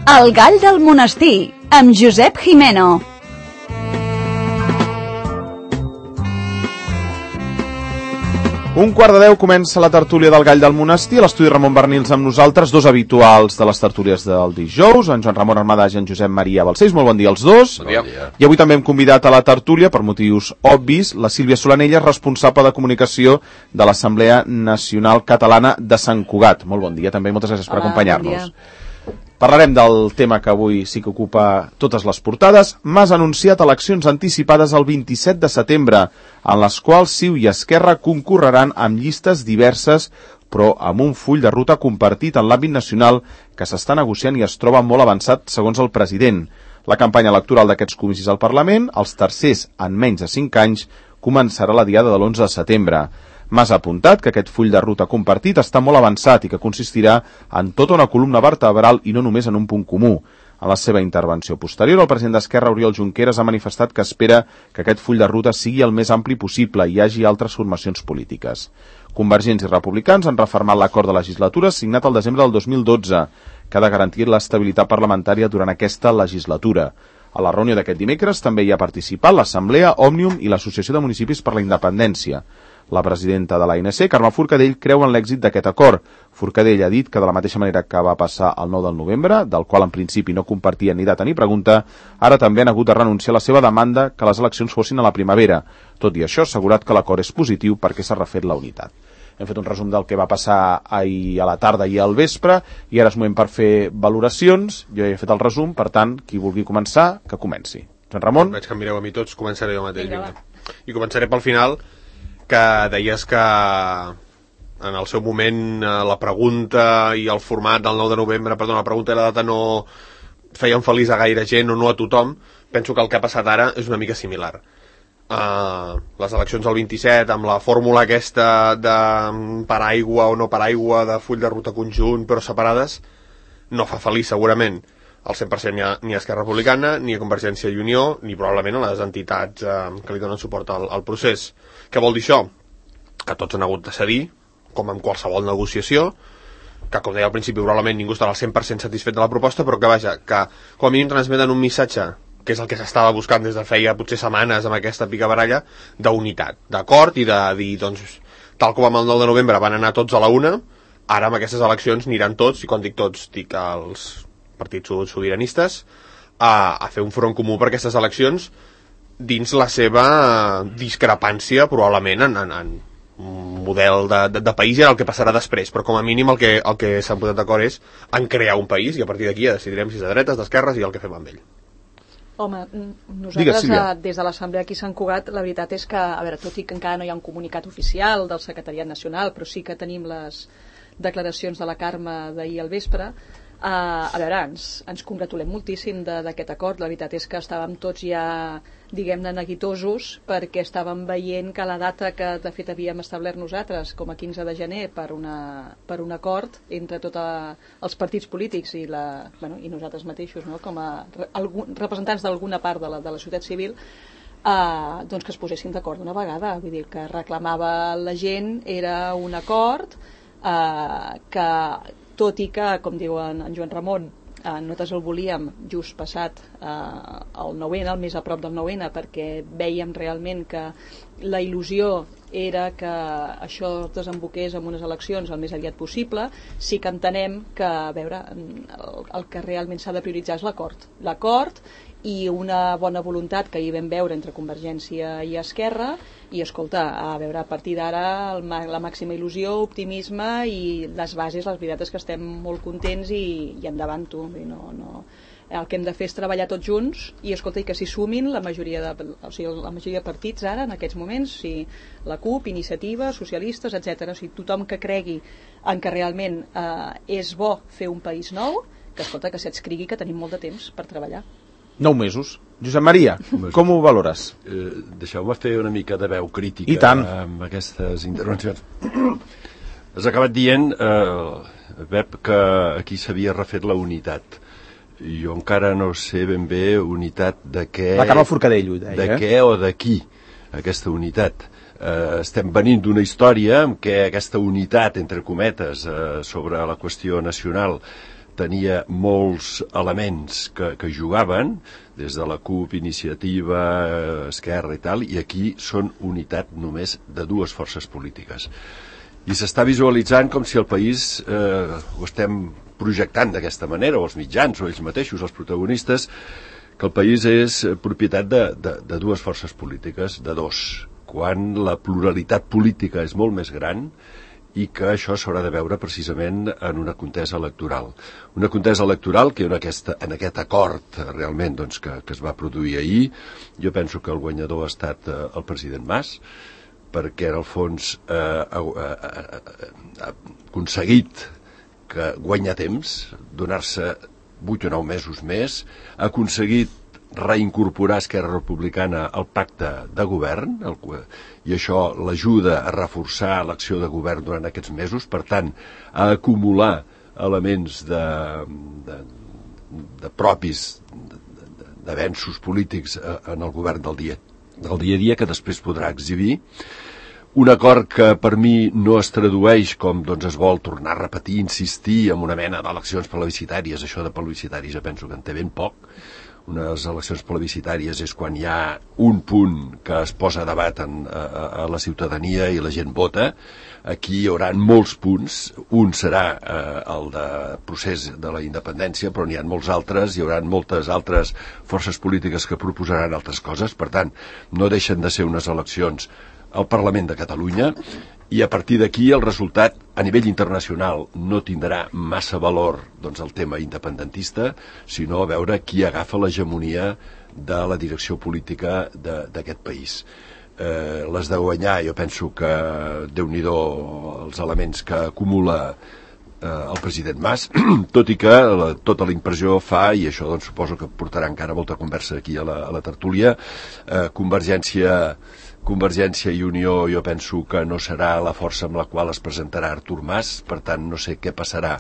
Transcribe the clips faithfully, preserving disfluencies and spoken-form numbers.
El gall del monestir, amb Josep Jimeno. Un quart de deu comença la tertúlia del Gall del Monestir. A l'estudi Ramon Bernils amb nosaltres, dos habituals de les tertúlies del dijous, en Joan Ramon Armadàs i en Josep Maria Balcells. Molt bon dia als dos. Bon dia. I avui també hem convidat a la tertúlia, per motius obvis, la Sílvia Solanella, responsable de comunicació de l'Assemblea Nacional Catalana de Sant Cugat. Molt bon dia també, moltes gràcies per Hola, acompanyar-nos. bon Parlarem del tema que avui sí que ocupa totes les portades. Mas ha anunciat eleccions anticipades el vint-i-set de setembre, en les quals C I U i Esquerra concorreran amb llistes diverses, però amb un full de ruta compartit en l'àmbit nacional que s'està negociant i es troba molt avançat, segons el president. La campanya electoral d'aquests comicis al Parlament, els tercers en menys de cinc anys, començarà la diada de l'onze de setembre. Mas ha apuntat que aquest full de ruta compartit està molt avançat i que consistirà en tota una columna vertebral i no només en un punt comú. En la seva intervenció posterior, el president d'Esquerra, Oriol Junqueras, ha manifestat que espera que aquest full de ruta sigui el més ampli possible i hi hagi altres formacions polítiques. Convergents i republicans han refermat l'acord de legislatura signat el desembre del dos mil dotze, que ha de garantir l'estabilitat parlamentària durant aquesta legislatura. A la reunió d'aquest dimecres també hi ha participat l'Assemblea, Òmnium i l'Associació de Municipis per la Independència. La presidenta de l'A N C, Carme Forcadell, creu en l'èxit d'aquest acord. Forcadell ha dit que de la mateixa manera que va passar el nou de novembre, del qual en principi no compartien ni data ni pregunta, ara també han hagut de renunciar a la seva demanda que les eleccions fossin a la primavera. Tot i això, ha assegurat que l'acord és positiu perquè s'ha refet la unitat. Hem fet un resum del que va passar ahir a la tarda i al vespre, i ara és moment per fer valoracions. Jo ja he fet el resum, per tant, qui vulgui començar, que comenci. Joan Ramon? Veig que em mireu a mi tots, començaré jo mateix. Vinga. I començaré pel final, que deies que en el seu moment la pregunta i el format del nou de novembre, perdona, la pregunta i la data no feien feliç a gaire gent o no a tothom. Penso que el que ha passat ara és una mica similar. Uh, les eleccions del vint-i-set, amb la fórmula aquesta de paraigua o no paraigua, de full de ruta conjunt però separades, no fa feliç segurament al cent per cent ni a, ni a Esquerra Republicana, ni a Convergència i Unió, ni probablement a les entitats uh, que li donen suport al, al procés. Què vol dir això? Que tots han hagut de cedir, com en qualsevol negociació, que, com deia al principi, probablement ningú estarà al cent per cent satisfet de la proposta, però que, vaja, que com a mínim transmeten un missatge, que és el que s'estava buscant des de feia potser setmanes amb aquesta picabaralla, d'unitat, d'acord, i de dir, doncs, tal com amb el nou de novembre van anar tots a la una, ara amb aquestes eleccions aniran tots, i quan dic tots, dic els partits sobiranistes, a, a fer un front comú per aquestes eleccions, dins la seva discrepància probablement en, en, en un model de, de, de país i el que passarà després, però com a mínim el que, el que s'han posat d'acord és en crear un país i a partir d'aquí ja decidirem si és de dretes, d'esquerres i el que fem amb ell. Home, nosaltres Digues, des de l'Assemblea aquí a Sant Cugat, la veritat és que, a veure, tot i que encara no hi ha un comunicat oficial del Secretariat Nacional, però sí que tenim les declaracions de la Carme d'ahir al vespre. Uh, a veure, ens, ens congratulem moltíssim d'aquest acord. La veritat és que estàvem tots ja, diguem-ne, neguitosos perquè estàvem veient que la data que de fet havíem establert nosaltres com a quinze de gener per, una, per un acord entre tots els partits polítics i, la, bueno, i nosaltres mateixos, no? Com a algun, representants d'alguna part de la, de la societat civil, uh, doncs que es posessin d'acord d'una vegada. Vull dir, que reclamava la gent era un acord uh, que, tot i que, com diu en, en Joan Ramon, eh, nosaltres el volíem just passat eh, el nou ene, el més a prop del nou ene, perquè vèiem realment que la il·lusió era que això desemboqués en unes eleccions el més aviat possible. Sí que entenem que, a veure, el, el que realment s'ha de prioritzar és l'acord. L'acord i una bona voluntat que hi vam veure entre Convergència i Esquerra, i escolta, a veure, a partir d'ara la màxima il·lusió, optimisme i les bases, les veritats és que estem molt contents i, i endavant tu. No, no. El que hem de fer és treballar tots junts i escolta, i que s'hi sumin la majoria de, o sigui, la majoria de partits ara, en aquests moments, o sigui, la CUP, Iniciativa, socialistes, etcètera. O sigui, tothom que cregui en que realment eh, és bo fer un país nou, que escolta, que s'adscrigui que tenim molt de temps per treballar. Nou mesos. Josep Maria, com ho valores? Eh, Deixeu-me fer una mica de veu crítica I tant. amb aquestes intervencions. Has acabat dient, eh, Pep, que aquí s'havia refet la unitat. Jo encara no sé ben bé unitat de què... La Carme Forcadell ho deia. De què o de qui, aquesta unitat. Eh, estem venint d'una història en què aquesta unitat, entre cometes, eh, sobre la qüestió nacional tenia molts elements que, que jugaven, des de la CUP, Iniciativa, Esquerra i tal, i aquí són unitat només de dues forces polítiques. I s'està visualitzant com si el país eh, ho estem projectant d'aquesta manera, o els mitjans, o ells mateixos, els protagonistes, que el país és propietat de, de, de dues forces polítiques, de dos, quan la pluralitat política és molt més gran i que això s'haurà de veure precisament en una contesa electoral. Una contesa electoral que en, aquesta, en aquest acord realment doncs, que, que es va produir ahir, jo penso que el guanyador ha estat eh, el president Mas, perquè en el fons eh, ha, ha, ha aconseguit que guanya temps, donar-se vuit o nou mesos més, ha aconseguit reincorporar Esquerra Republicana al pacte de govern, el, i això l'ajuda a reforçar l'acció de govern durant aquests mesos, per tant, a acumular elements de, de, de propis d'avenços polítics en el govern del dia, del dia a dia, que després podrà exhibir. Un acord que per mi no es tradueix com doncs, es vol tornar a repetir, insistir en una mena d'eleccions plebiscitàries. Això de plebiscitàries jo penso que en té ben poc. Unes eleccions plebiscitàries és quan hi ha un punt que es posa a debat en, a, a la ciutadania i la gent vota. Aquí hi haurà molts punts. Un serà eh, el de procés de la independència, però n'hi ha molts altres. Hi haurà moltes altres forces polítiques que proposaran altres coses. Per tant, no deixen de ser unes eleccions al Parlament de Catalunya, i a partir d'aquí el resultat a nivell internacional no tindrà massa valor doncs, el tema independentista, sinó a veure qui agafa l'hegemonia de la direcció política d'aquest país. Eh, les de guanyar, jo penso que Déu-n'hi-do els elements que acumula eh, el president Mas, tot i que la, tota la impressió fa, i això doncs, suposo que portarà encara molta conversa aquí a la, a la tertúlia, eh, Convergència Convergència i Unió jo penso que no serà la força amb la qual es presentarà Artur Mas, per tant no sé què passarà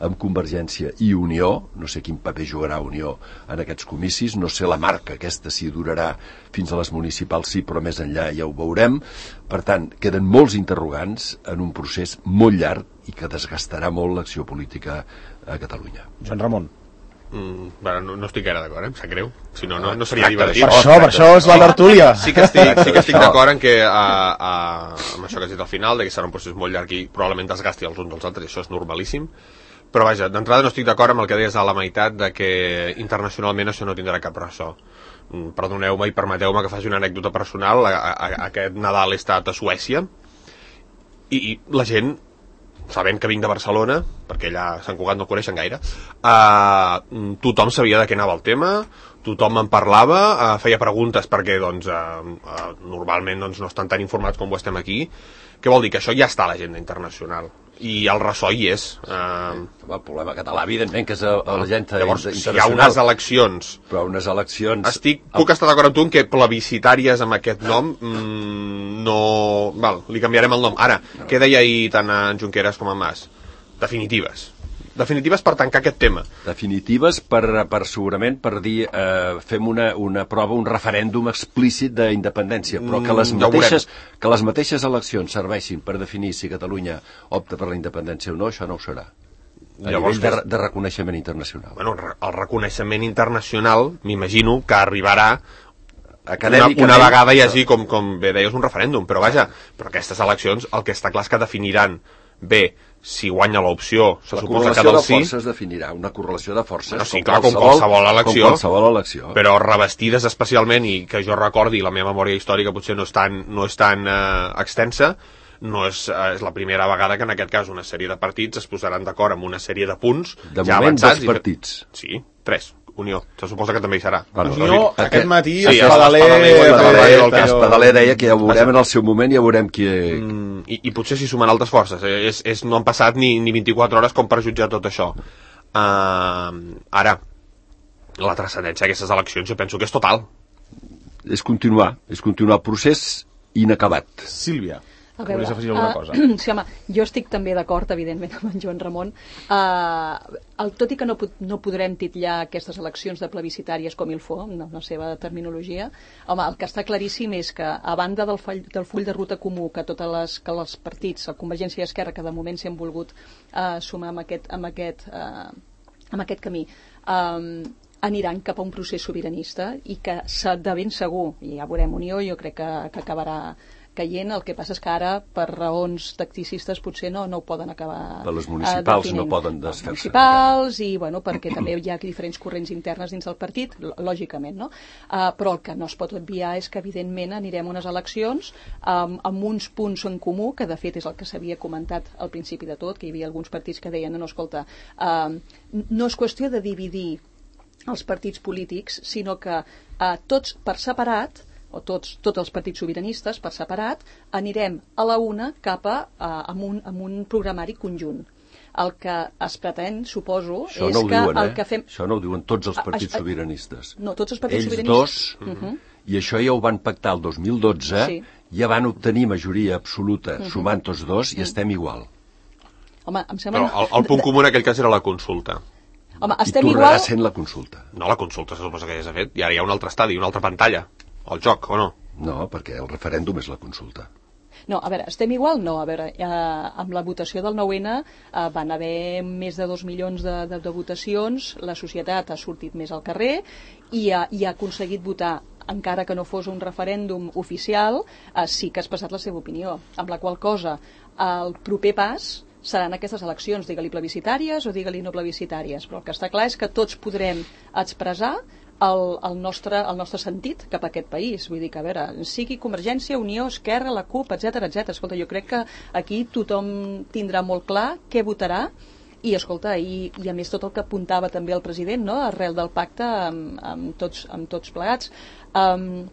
amb Convergència i Unió, no sé quin paper jugarà Unió en aquests comicis, no sé la marca aquesta si durarà fins a les municipals sí, però més enllà ja ho veurem. Per tant, queden molts interrogants en un procés molt llarg i que desgastarà molt l'acció política a Catalunya. Joan Ramon. Mm, bueno, no, no estic gaire d'acord, eh? Em sap greu. Si no, no, no seria divertit. Per això, per això és la tertúlia. Sí que estic, sí que estic d'acord en que a, a, amb això que has dit al final, de que serà un procés molt llarg i probablement desgasti els uns dels altres, i això és normalíssim. Però vaja, d'entrada no estic d'acord amb el que deies a la meitat de que internacionalment això no tindrà cap ressò. Mm, perdoneu-me i permeteu-me que faci una anècdota personal. A, a, a aquest Nadal he estat a Suècia i, i la gent, sabent que vinc de Barcelona, perquè allà a Sant Cugat no coneixen gaire, uh, tothom sabia de què anava el tema, tothom en parlava, uh, feia preguntes perquè doncs, uh, uh, normalment doncs, no estan tan informats com ho estem aquí. Què vol dir? Que això ja està a l'agenda internacional i el ressò hi és. Uh, el problema català, evidentment, que és a l'agenda llavors, internacional. Si hi ha unes eleccions... Però unes eleccions... Estic, puc estar d'acord amb tu en que plebiscitàries amb aquest nom mmm, no... Val, li canviarem el nom. Ara, no. Què deia ahir tant en Junqueras com en Mas? Definitives. Definitives per tancar aquest tema. Definitives per, per segurament per dir eh, fem una, una prova, un referèndum explícit d'independència, però que les, mateixes, que les mateixes eleccions serveixin per definir si Catalunya opta per la independència o no, això no ho serà. A Llavors, nivell de, de reconeixement internacional. Bueno, el reconeixement internacional, m'imagino que arribarà una, una vegada hi hagi, com, com bé deies, un referèndum, però vaja, però aquestes eleccions el que està clar és que definiran bé si guanya l'opció, se la suposa que del sí... La correlació de forces definirà, una correlació de forces, bueno, sí, com, clar, qualsevol, com, qualsevol elecció, com qualsevol elecció, però revestides especialment, i que jo recordi, la meva memòria històrica potser no és tan, no és tan eh, extensa, no és, eh, és la primera vegada que en aquest cas una sèrie de partits es posaran d'acord amb una sèrie de punts de ja moment avançats. Dos partits. I... Sí, tres. Unió, se suposa que també hi serà. Bueno, Unió, aquest, aquest matí, sí, Espadaler... Espadaler deia que ja ho veurem en el seu moment, ja veurem qui... Mm, i, I potser s'hi sumen altres forces. Eh? És, és, no han passat ni, ni vint-i-quatre hores com per jutjar tot això. Uh, ara, la transcendència d'aquestes eleccions jo penso que és total. És continuar, és continuar el procés inacabat. Sílvia. A veure, volies afegir alguna cosa? Uh, sí, home, jo estic també d'acord, evidentment, amb en Joan Ramon. Uh, el, tot i que no, no podrem titllar aquestes eleccions de plebiscitàries com il fo, no, la seva terminologia, home, el que està claríssim és que, a banda del, fall, del full de ruta comú que totes les, que els partits, el Convergència i Esquerra, que de moment s'han volgut uh, sumar amb aquest, amb aquest uh, amb aquest camí, um, aniran cap a un procés sobiranista i que de ben segur, i ja veurem Unió, jo crec que, que acabarà caient. El que passa és que ara, per raons tacticistes, potser no, no ho poden acabar per les municipals definint. No poden desfer-se. Municipals, i bueno, perquè també hi ha diferents corrents internes dins del partit, lògicament, no? Uh, però el que no es pot obviar és que, evidentment, anirem a unes eleccions um, amb uns punts en comú, que de fet és el que s'havia comentat al principi de tot, que hi havia alguns partits que deien, no, escolta, uh, no és qüestió de dividir els partits polítics, sinó que uh, tots per separat, o tots, tots els partits sobiranistes per separat, anirem a la una cap a, a amb, un, amb un programari conjunt. El que es pretén, suposo, això és no que diuen, el eh? que fem... Això no ho diuen tots els partits a, a, sobiranistes. No, tots els partits Ells sobiranistes. Ells dos, uh -huh. i això ja ho van pactar el dos mil dotze, sí. Ja van obtenir majoria absoluta, uh -huh. sumant tots dos, i uh -huh. estem igual. Home, em sembla... Però el, el punt comú en aquell cas era la consulta. Home, estem I tornarà igual... sent la consulta. No, la consulta se suposa que ja s'ha fet, i ara hi ha un altre estadi, una altra pantalla, el joc, o no? No, perquè el referèndum és la consulta. No, a veure, estem igual? No, a veure, eh, amb la votació del nou ene eh, van haver més de dos milions de, de, de votacions, la societat ha sortit més al carrer i ha, i ha aconseguit votar, encara que no fos un referèndum oficial, eh, sí que ha expressat la seva opinió, amb la qual cosa el proper pas seran aquestes eleccions, digue-li plebiscitàries o digue-li no plebiscitàries, però el que està clar és que tots podrem expressar el, el, nostre, el nostre sentit cap a aquest país. Vull dir que, a veure, sigui Convergència, Unió, Esquerra, la CUP, etcètera, etcètera. Escolta, jo crec que aquí tothom tindrà molt clar què votarà i, escolta, i, i a més tot el que apuntava també el president, no?, arrel del pacte amb, amb, tots, amb tots plegats. Um,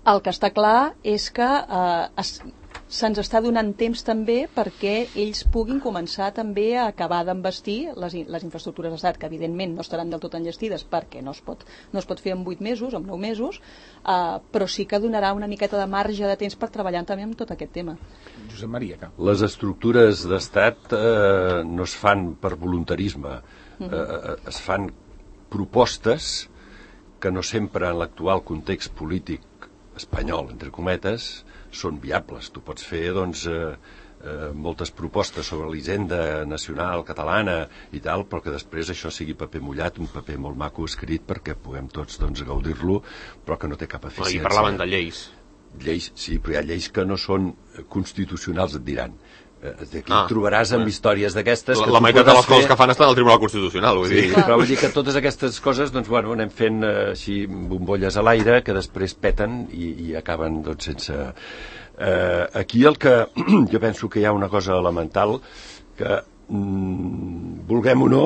el que està clar és que uh, es, se'ns està donant temps també perquè ells puguin començar també a acabar d'envestir les, les infraestructures d'estat, que evidentment no estaran del tot enllestides perquè no es pot, no es pot fer en vuit mesos, en nou mesos, uh, però sí que donarà una miqueta de marge de temps per treballar també amb tot aquest tema. Josep Maria, que... Les estructures d'estat eh, no es fan per voluntarisme, uh -huh. eh, es fan propostes que no sempre en l'actual context polític espanyol, entre cometes, són viables. Tu pots fer, doncs, eh, eh, moltes propostes sobre l'hisenda nacional catalana i tal, però que després això sigui paper mullat, un paper molt maco escrit perquè puguem tots, doncs, gaudir-lo, però que no té cap eficiència. I parlaven de lleis. Lleis, sí, però hi ha lleis que no són constitucionals, et diran. Aquí ah, trobaràs amb històries d'aquestes... La, la meitat de les coses fer... que fan estan al Tribunal Constitucional, vull sí, dir. Però vull dir que totes aquestes coses, doncs, bueno, anem fent eh, així bombolles a l'aire que després peten i, i acaben, doncs, sense... Eh, aquí el que... jo penso que hi ha una cosa elemental que, mm, vulguem o no,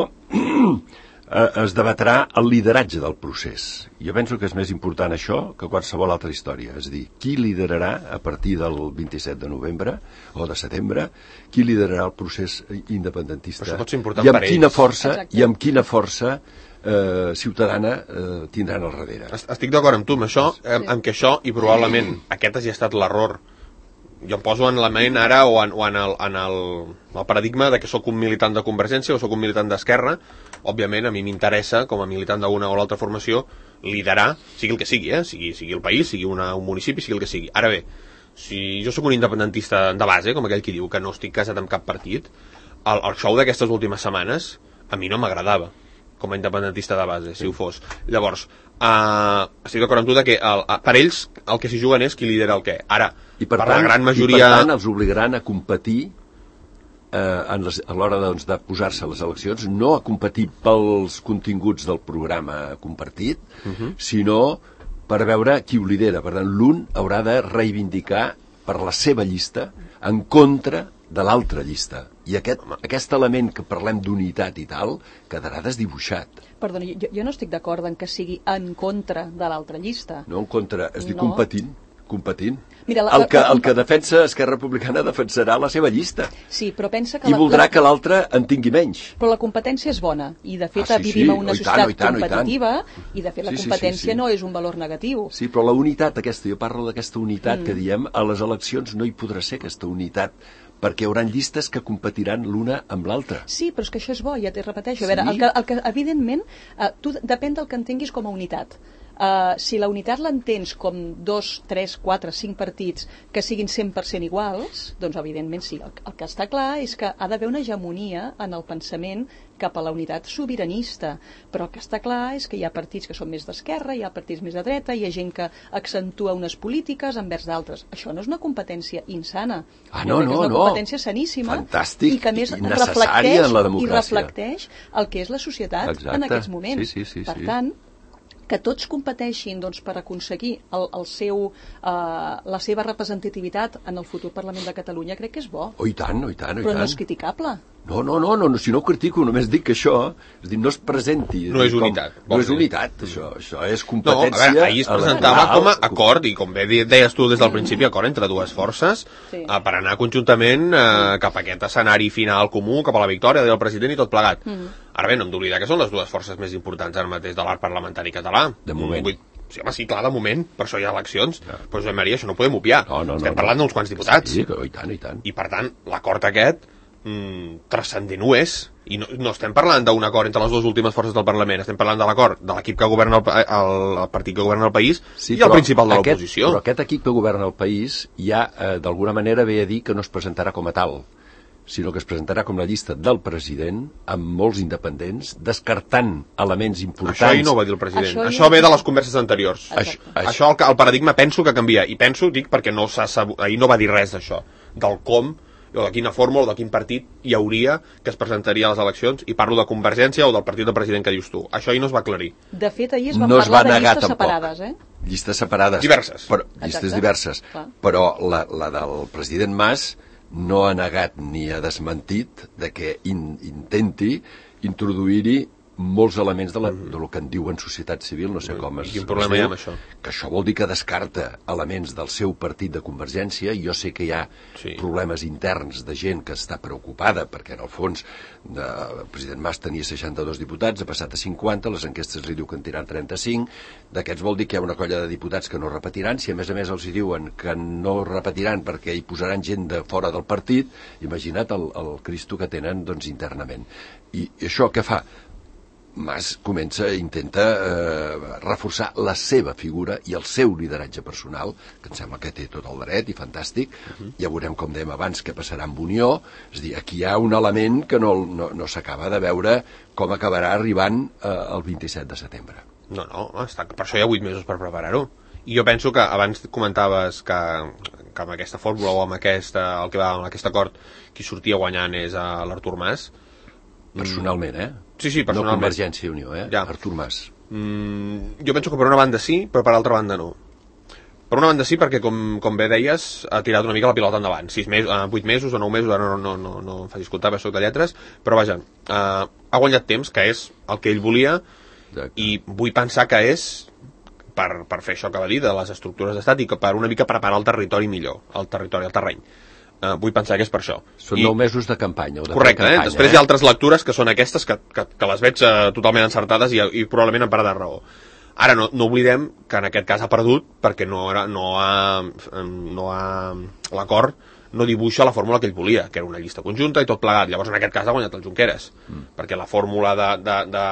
es debatrà el lideratge del procés. Jo penso que és més important això que qualsevol altra història. És a dir, qui liderarà a partir del vint-i-set de novembre o de setembre, qui liderarà el procés independentista i amb quina força Exacte. i amb quina força eh, ciutadana eh, tindran al darrere. Estic d'acord amb tu amb això, amb, amb que això, i probablement aquest hagi estat l'error. Jo em poso en la ment ara o en, o en, el, en el, el paradigma de que sóc un militant de Convergència o sóc un militant d'Esquerra. Òbviament, a mi m'interessa, com a militant d'una o l'altra formació, liderar, sigui el que sigui, eh? sigui, sigui el país, sigui una, un municipi, sigui el que sigui. Ara bé, si jo sóc un independentista de base, com aquell qui diu que no estic casat amb cap partit, el, el show d'aquestes últimes setmanes a mi no m'agradava, com a independentista de base, si ho fos. Llavors, uh, estic d'acord amb tu de que el, per ells el que s'hi juguen és qui lidera el què. Ara, I per, per tant, la gran majoria... I per tant, els obligaran a competir eh, en les, a l'hora doncs, de posar-se a les eleccions, no a competir pels continguts del programa compartit, uh -huh. sinó per veure qui ho lidera. Per tant, l'un haurà de reivindicar per la seva llista en contra de l'altra llista. I aquest, aquest element que parlem d'unitat i tal quedarà desdibuixat. Perdoni, jo, jo no estic d'acord en que sigui en contra de l'altra llista. No en contra, es diu no. competint. competint. Mira, la, el, que, la, la, el que defensa Esquerra Republicana defensarà la seva llista. Sí, però pensa que... I la, voldrà la... que l'altre en tingui menys. Però la competència és bona, i de fet ah, sí, vivim sí. en una oh, societat tant, oh, tant, competitiva, oh, i de fet la sí, sí, competència sí, sí. no és un valor negatiu. Sí, però la unitat aquesta, jo parlo d'aquesta unitat mm. que diem, a les eleccions no hi podrà ser aquesta unitat, perquè hi haurà llistes que competiran l'una amb l'altra. Sí, però és que això és bo, ja t'hi repeteixo. A veure, sí? el que, el que, evidentment, eh, tu depèn del que entenguis com a unitat. Uh, si la unitat l'entens com dos, tres, quatre, cinc partits que siguin cent per cent iguals, doncs evidentment sí. El, el que està clar és que ha d'haver una hegemonia en el pensament cap a la unitat sobiranista, però el que està clar és que hi ha partits que són més d'esquerra, hi ha partits més de dreta, hi ha gent que accentua unes polítiques envers d'altres. Això no és una competència insana. Ah, no, no, no. És una competència saníssima. Fantàstic, i que a més i necessària en la democràcia. I reflecteix el que és la societat. Exacte. En aquests moments. Sí, sí, sí, per sí. tant, que tots competeixin doncs, per aconseguir el, el seu, uh, la seva representativitat en el futur Parlament de Catalunya, crec que és bo. Oh, i tant, oh, i tant, oh, i però tant. no és criticable. No, no, no, no, si no ho critico, només dic que això, és dir, no es presenti. No és unitat. Com, no és unitat, això, això és competència. No, a veure, ahir es presentava com a acord, i com bé deies tu des del principi, acord entre dues forces, sí. eh, per anar conjuntament eh, cap a aquest escenari final comú, cap a la victòria del president i tot plegat. Mm. Ara bé, no hem d'oblidar que són les dues forces més importants ara mateix de l'art parlamentari català. De moment. Vull, sí, home, sí, clar, de moment, per això hi ha eleccions, ja. Però Josep Maria, això no ho podem obviar. No, no, Estem no, parlant no. d'uns quants diputats. Sí, i tant, i tant. I per tant, l'acord aquest mm, transcendent ho és, i no, no estem parlant d'un acord entre les dues últimes forces del Parlament, estem parlant de l'acord de l'equip que governa el, el, el partit que governa el país sí, i el principal de l'oposició. Però aquest equip que governa el país ja eh, d'alguna manera ve a dir que no es presentarà com a tal, sinó que es presentarà com la llista del president amb molts independents, descartant elements importants. Això ahir no ho va dir el president. Això, això ve de les converses anteriors. Això, això el, el paradigma penso que canvia. I penso, dic, perquè no s'ha sabut, ahir no va dir res d'això, del com, o de quina fórmula, o de quin partit hi hauria que es presentaria a les eleccions, i parlo de Convergència o del partit del president que dius tu. Això ahir no es va aclarir. De fet, ahir es va no parlar es va de negar, llistes tampoc. separades, eh? Llistes separades. Diverses. Però, llistes Exacte. diverses. Clar. Però la, la del president Mas no ha negat ni ha desmentit de que in, intenti introduir-hi molts elements de, la, de lo que en diuen societat civil, no sé com es, quin problema es hi ha diu, amb això? Que això vol dir que descarta elements del seu partit de Convergència, i jo sé que hi ha sí. problemes interns de gent que està preocupada, perquè en el fons de, el president Mas tenia seixanta-dos diputats, ha passat a cinquanta, les enquestes li diu que en tiran trenta-cinc, d'aquests vol dir que hi ha una colla de diputats que no repetiran, si a més a més els hi diuen que no repetiran perquè hi posaran gent de fora del partit, imagina't el, el Cristo que tenen doncs, internament. I, i això què fa? Mas comença, intenta eh, reforçar la seva figura i el seu lideratge personal, que em sembla que té tot el dret i fantàstic. Uh-huh. Ja veurem, com dèiem abans, què passarà amb Unió. És a dir, aquí hi ha un element que no, no, no s'acaba de veure com acabarà arribant eh, el vint-i-set de setembre. No, no, està, per això hi ha vuit mesos per preparar-ho. I jo penso que abans comentaves que, que amb aquesta fórmula o amb aquesta, el que va amb aquest acord, qui sortia guanyant és l'Artur Mas. Personalment, eh? Sí, sí, personalment. No Convergència i Unió, eh? Ja. Artur Mas. Mm, jo penso que per una banda sí, però per altra banda no. Per una banda sí, perquè com, com bé deies, ha tirat una mica la pilota endavant. Sis mesos, eh, vuit mesos o nou mesos, ara no, no, no, no em facis comptar, perquè soc de lletres, però vaja, eh, ha guanyat temps, que és el que ell volia. Exacte. I vull pensar que és per, per fer això que va dir de les estructures d'estat i que per una mica preparar el territori millor, el territori, el terreny. Uh, vull pensar que és per això. Són I... nou mesos de campanya. O de correcte, campanya, eh? Després eh? hi ha altres lectures que són aquestes que, que, que les veig uh, totalment encertades i, i probablement en part de raó. Ara no, no oblidem que en aquest cas ha perdut perquè no, era, no ha, no ha l'acord no dibuixa la fórmula que ell volia, que era una llista conjunta i tot plegat. Llavors en aquest cas ha guanyat el Junqueras, mm. perquè la fórmula de, de, de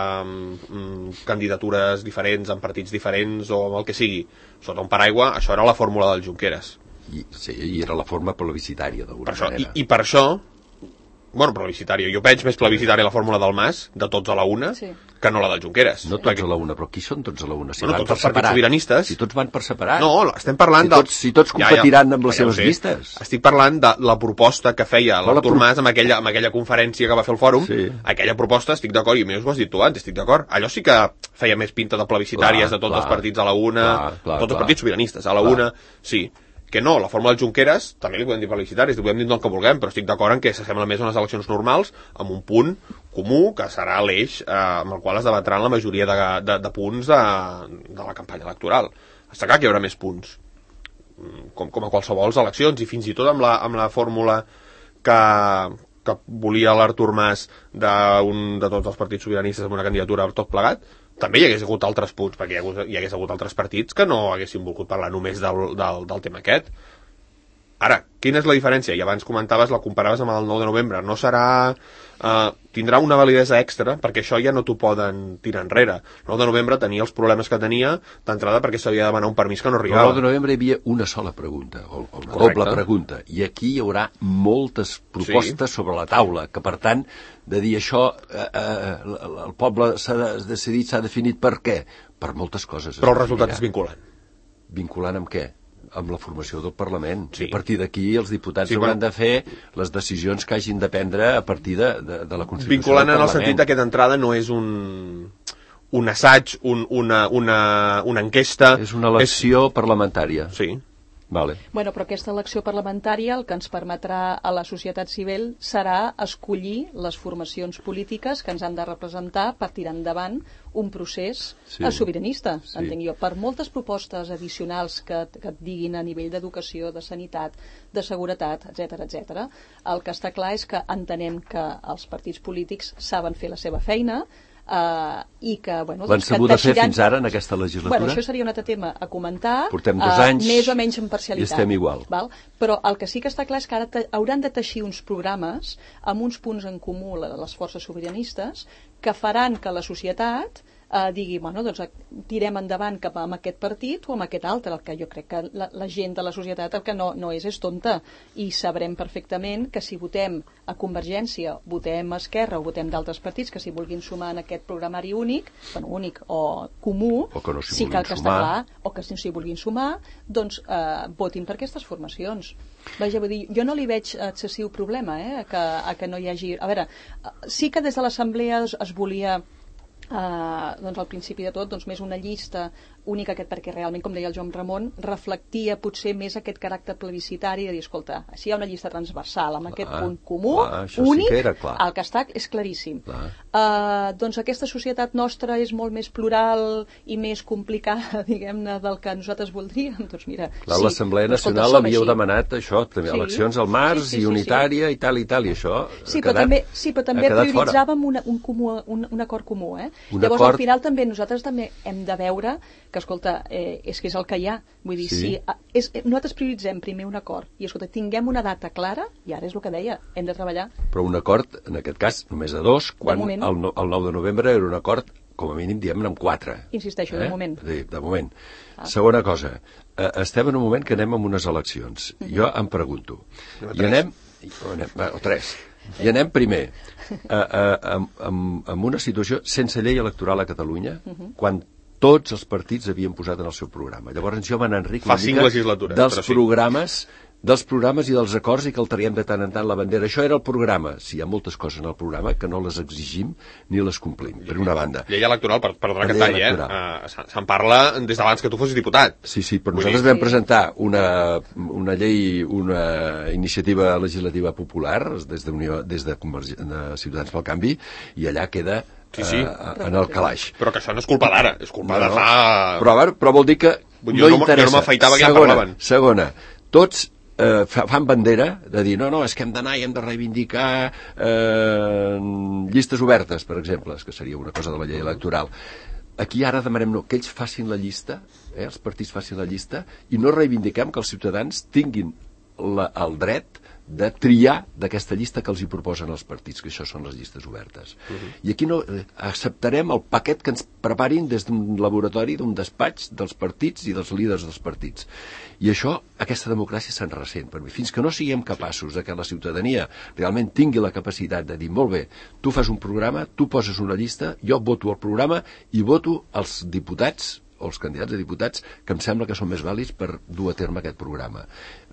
um, candidatures diferents en partits diferents o amb el que sigui, sota un paraigua, això era la fórmula del Junqueras. I, sí, i era la forma plebiscitària d'alguna manera. I, I per això, bueno, plebiscitària, jo veig més plebiscitària la fórmula del Mas, de tots a la una, sí. que no la del Junqueras. No tots perquè... a la una, però qui són tots a la una? Si bueno, van tots per els partits separat. sobiranistes. Si tots van per separat. No, estem parlant si tots, de... Si tots competiran ja, ja, amb les ja seves llistes. Estic parlant de la proposta que feia l'Artur pro... Mas amb aquella, amb aquella conferència que va fer el fòrum. Sí. Aquella proposta, estic d'acord, i més ho has dit tu abans, estic d'acord. Allò sí que feia més pinta de plebiscitàries clar, de tots clar, els partits a la una, clar, clar, tots clar. Els partits sobiranistes a la clar. Una, sí. Que no, la fórmula del Junqueras, també li podem dir plebiscitaris, li podem dir el que vulguem, però estic d'acord en que s'assembla més a unes eleccions normals, amb un punt comú, que serà l'eix eh, amb el qual es debatran la majoria de, de, de punts de, de la campanya electoral. Està clar que hi haurà més punts, com, com a qualsevol eleccions, i fins i tot amb la, amb la fórmula que, que volia l'Artur Mas de, un, de tots els partits sobiranistes amb una candidatura tot plegat, també hi hagués hagut altres punts, perquè hi hagués, hi hagués hagut altres partits que no haguessin volgut parlar només del, del, del tema aquest. Ara, quina és la diferència? I abans comentaves, la comparaves amb el nou de novembre. No serà... Uh, tindrà una validesa extra, perquè això ja no t'ho poden tirar enrere. El nou de novembre tenia els problemes que tenia d'entrada perquè s'havia de demanar un permís que no arribava. El nou de novembre hi havia una sola pregunta, o una doble pregunta, i aquí hi haurà moltes propostes sí. sobre la taula, que per tant, de dir això, eh, eh, el poble s'ha decidit, s'ha definit per què? Per moltes coses. Però el resultat és vinculant. Vinculant amb què? Amb la formació del Parlament. Sí. A partir d'aquí els diputats sí, hauran bueno, de fer les decisions que hagin de prendre a partir de, de, de la Constitució vinculant del Parlament. En el sentit que d'entrada no és un, un assaig, un, una, una, una enquesta... És una elecció és... parlamentària. Sí. Vale. Bueno, però aquesta elecció parlamentària el que ens permetrà a la societat civil serà escollir les formacions polítiques que ens han de representar per tirar endavant un procés sí. sobiranista, sí. entenc jo. Per moltes propostes addicionals que, que et diguin a nivell d'educació, de sanitat, de seguretat, etcètera, etcètera, el que està clar és que entenem que els partits polítics saben fer la seva feina. Uh, i que, bueno, l'han sabut teixiran... fer fins ara en aquesta legislatura? Bueno, això seria un altre tema a comentar. Portem dos uh, anys més o menys en parcialitat. I estem igual. Val? Però el que sí que està clar és que ara te... hauran de teixir uns programes amb uns punts en comú les forces sobiranistes que faran que la societat eh, digui, bueno, doncs tirem endavant cap amb aquest partit o amb aquest altre, el que jo crec que la, la gent de la societat el que no, no és és tonta, i sabrem perfectament que si votem a Convergència, votem a Esquerra o votem d'altres partits que s'hi vulguin sumar en aquest programari únic, bueno, únic o comú, o que no sí que el que està clar, o que si s'hi vulguin sumar, doncs eh, votin per aquestes formacions. Vaja, vull dir, jo no li veig excessiu problema eh, a, que, a que no hi hagi... A veure, sí que des de l'Assemblea es, es volia... Uh, doncs al principi de tot doncs més una llista única, aquest, perquè realment, com deia el Joan Ramon, reflectia potser més aquest caràcter plebiscitari de dir, escolta, si hi ha una llista transversal amb clar, aquest punt comú, clar, únic, sí que el que està és claríssim. Uh, doncs aquesta societat nostra és molt més plural i més complicada, diguem-ne, del que nosaltres voldríem. Doncs mira, clar, sí, l'Assemblea Nacional havíeu demanat això, també sí. eleccions al març sí, sí, sí, i unitària sí, sí. i tal i tal, i això sí, però també, sí, però també prioritzàvem una, un, comú, un, un acord comú, eh? Un Llavors, acord... al final, també nosaltres també hem de veure que, escolta, eh, és que és el que hi ha. Vull dir, sí. si és, nosaltres prioritzem primer un acord i, escolta, tinguem una data clara, i ara és el que deia, hem de treballar. Però un acord, en aquest cas, només de dos, quan de el, el nou de novembre era un acord, com a mínim, diem-ne, amb quatre. Insisteixo, eh? de moment. De, de moment. Ah. Segona cosa, eh, estem en un moment que anem amb unes eleccions. Uh -huh. Jo em pregunto, no, i anem... O, anem o tres. I anem primer a, a, a, a, a una situació sense llei electoral a Catalunya, uh -huh. quan tots els partits havien posat en el seu programa. Llavors jo me n'enric una mica dels sí. programes dels programes i dels acords i que alteriem de tant en tant la bandera. Això era el programa. Sí, hi ha moltes coses en el programa que no les exigim ni les complim, per una banda. Llei electoral, per, perdona que talli, eh? Uh, Se'n parla des d'abans que tu fossis diputat. Sí, sí, però nosaltres vam presentar una, una llei, una iniciativa legislativa popular des de, Unió, des de, de Ciutadans pel Canvi, i allà queda sí, sí. Uh, en el calaix. Però que això no és culpa d'ara, és culpa no, de fa... Però, veure, però vol dir que jo no, no interessa. Jo no m'afeitava que segona, ja parlaven. Segona, tots eh, fan bandera de dir no, no, és que hem d'anar i hem de reivindicar eh, llistes obertes, per exemple, que seria una cosa de la llei electoral. Aquí ara demanem no, que ells facin la llista, eh, els partits facin la llista, i no reivindiquem que els ciutadans tinguin la, el dret de triar d'aquesta llista que els hi proposen els partits, que això són les llistes obertes. Uh-huh. I aquí no eh, acceptarem el paquet que ens preparin des d'un laboratori, d'un despatx dels partits i dels líders dels partits. I això, aquesta democràcia se'n ressent per mi. Fins que no siguem capaços de que la ciutadania realment tingui la capacitat de dir, molt bé, tu fas un programa, tu poses una llista, jo voto el programa i voto els diputats o els candidats a diputats que em sembla que són més vàlids per dur a terme aquest programa.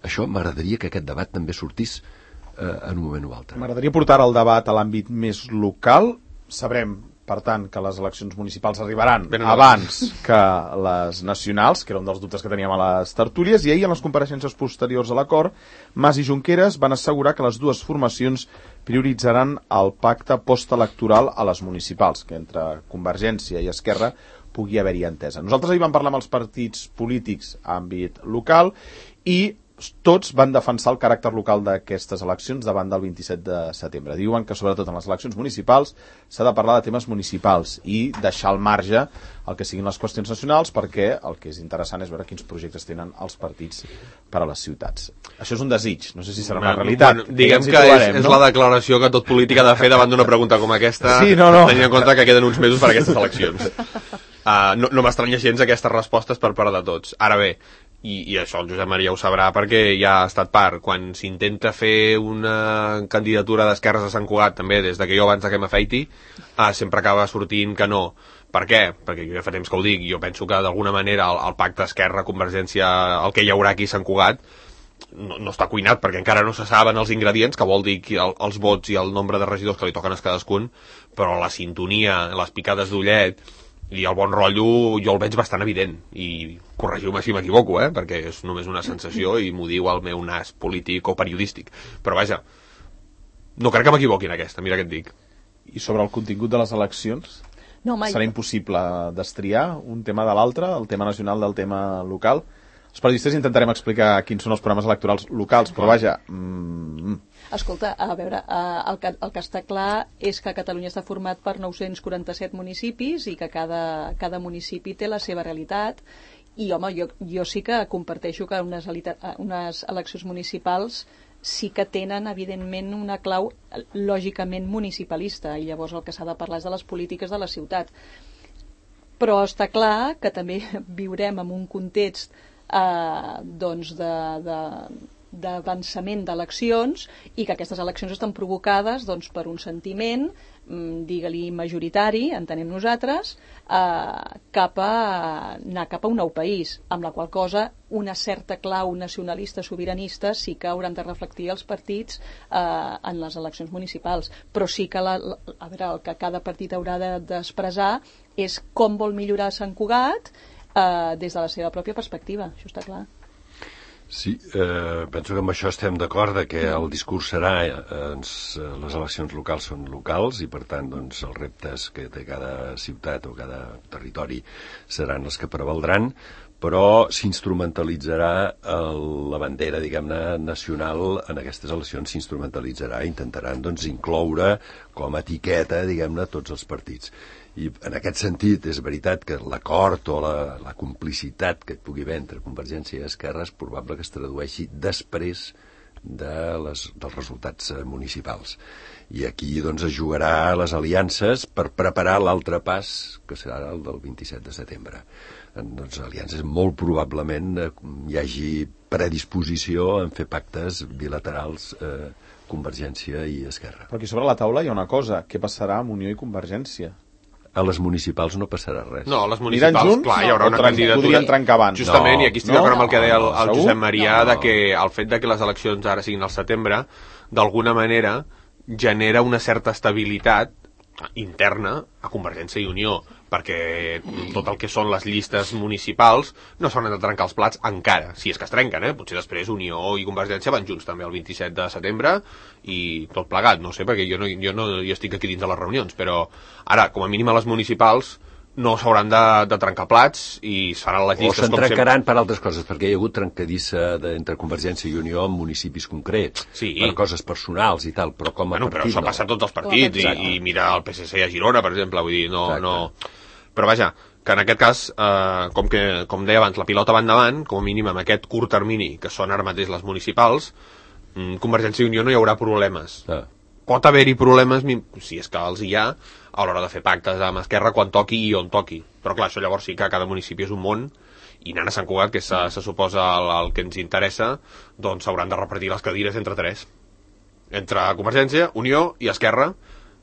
Això m'agradaria que aquest debat també sortís eh, en un moment o altre. M'agradaria portar el debat a l'àmbit més local. Sabrem, per tant, que les eleccions municipals arribaran ben abans que les nacionals, que era un dels dubtes que teníem a les tertúlies, i ahir, en les compareixences posteriors a l'acord, Mas i Junqueras van assegurar que les dues formacions prioritzaran el pacte postelectoral a les municipals, que entre Convergència i Esquerra pugui haver-hi entesa. Nosaltres ahir vam parlar amb els partits polítics a àmbit local i tots van defensar el caràcter local d'aquestes eleccions davant del vint-i-set de setembre. Diuen que sobretot en les eleccions municipals s'ha de parlar de temes municipals i deixar al marge el que siguin les qüestions nacionals, perquè el que és interessant és veure quins projectes tenen els partits per a les ciutats. Això és un desig, no sé si serà una realitat. Bueno, diguem que, que trobarem, és, és no? la declaració que tot polític ha de fer davant d'una pregunta com aquesta, sí, no, no. tenint en compte que queden uns mesos per a aquestes eleccions. Uh, no no m'estranya gens aquestes respostes per part de tots. Ara bé, I, i això el Josep Maria ho sabrà perquè ja ha estat part, quan s'intenta fer una candidatura d'esquerres a Sant Cugat, també des de que jo abans de que m'afeiti, uh, sempre acaba sortint que no. Per què? Perquè jo ja fa temps que ho dic, jo penso que d'alguna manera el, el pacte Esquerra-Convergència, el que hi haurà aquí a Sant Cugat, no, no està cuinat perquè encara no se saben els ingredients, que vol dir el, els vots i el nombre de regidors que li toquen a cadascun, però la sintonia, les picades d'ullet i el bon rotllo jo el veig bastant evident, i corregiu-me si m'equivoco, eh? perquè és només una sensació i m'ho diu el meu nas polític o periodístic, però vaja, no crec que m'equivoqui en aquesta, mira què et dic. I sobre el contingut de les eleccions? No, mai. Serà impossible destriar un tema de l'altre, el tema nacional del tema local? Els periodistes intentarem explicar quins són els programes electorals locals, però vaja... Mm... Escolta, a veure, el que, el que està clar és que Catalunya està format per nou-cents quaranta-set municipis i que cada, cada municipi té la seva realitat, i home, jo, jo sí que comparteixo que unes, unes eleccions municipals sí que tenen, evidentment, una clau lògicament municipalista, i llavors el que s'ha de parlar és de les polítiques de la ciutat. Però està clar que també viurem en un context eh, doncs de... de d'avançament d'eleccions, i que aquestes eleccions estan provocades doncs, per un sentiment, digue-li majoritari, entenem nosaltres, eh, cap a anar cap a un nou país, amb la qual cosa una certa clau nacionalista sobiranista sí que hauran de reflectir els partits eh, en les eleccions municipals, però sí que la, la, a veure, el que cada partit haurà d'expressar és com vol millorar Sant Cugat eh, des de la seva pròpia perspectiva, això està clar. Sí, eh, penso que amb això estem d'acord, de que el discurs serà eh, ens, les eleccions locals són locals i per tant doncs, els reptes que té cada ciutat o cada territori seran els que prevaldran, però s'instrumentalitzarà la bandera, diguem-ne, nacional en aquestes eleccions, s'instrumentalitzarà, intentaran doncs, incloure com a etiqueta, diguem-ne, tots els partits. I en aquest sentit és veritat que l'acord o la, la complicitat que et pugui haver entre Convergència i Esquerra és probable que es tradueixi després de les, dels resultats municipals. I aquí doncs, es jugarà les aliances per preparar l'altre pas, que serà el del vint-i-set de setembre. En doncs, aliances molt probablement eh, hi hagi predisposició en fer pactes bilaterals eh, Convergència i Esquerra. Però aquí sobre la taula hi ha una cosa, què passarà amb Unió i Convergència? A les municipals no passarà res. No, a les municipals, junts, clar, hi haurà una candidatura. Podrien trencar abans. Justament, no, i aquí estic d'acord no, amb el que deia el, el Josep Maria, no. de que el fet de que les eleccions ara siguin al setembre, d'alguna manera, genera una certa estabilitat interna a Convergència i Unió, perquè tot el que són les llistes municipals no s'han de trencar els plats encara, si és que es trenquen, eh? Potser després Unió i Convergència van junts també el vint-i-set de setembre i tot plegat, no sé, perquè jo no, jo no jo estic aquí dins de les reunions, però ara, com a mínim a les municipals no s'hauran de, de trencar plats i seran les llistes... O se'n trencaran sempre per altres coses, perquè hi ha hagut trencadissa de, entre Convergència i Unió en municipis concrets, sí. per coses personals i tal, però com a bueno, partit... Però això no. passa a tots els partits, i, i mira el P S C a Girona, per exemple, vull dir, no... no... Però vaja, que en aquest cas, eh, com, que, com deia abans, la pilota va endavant, com a mínim amb aquest curt termini, que són ara mateix les municipals, Convergència i Unió no hi haurà problemes. Ah. Pot haver-hi problemes, si és que els hi ha, a l'hora de fer pactes amb Esquerra quan toqui i on toqui. Però clar, això llavors sí que cada municipi és un món, i anant a Sant Cugat, que se, se suposa el, el que ens interessa, doncs s'hauran de repartir les cadires entre tres. Entre Convergència, Unió i Esquerra,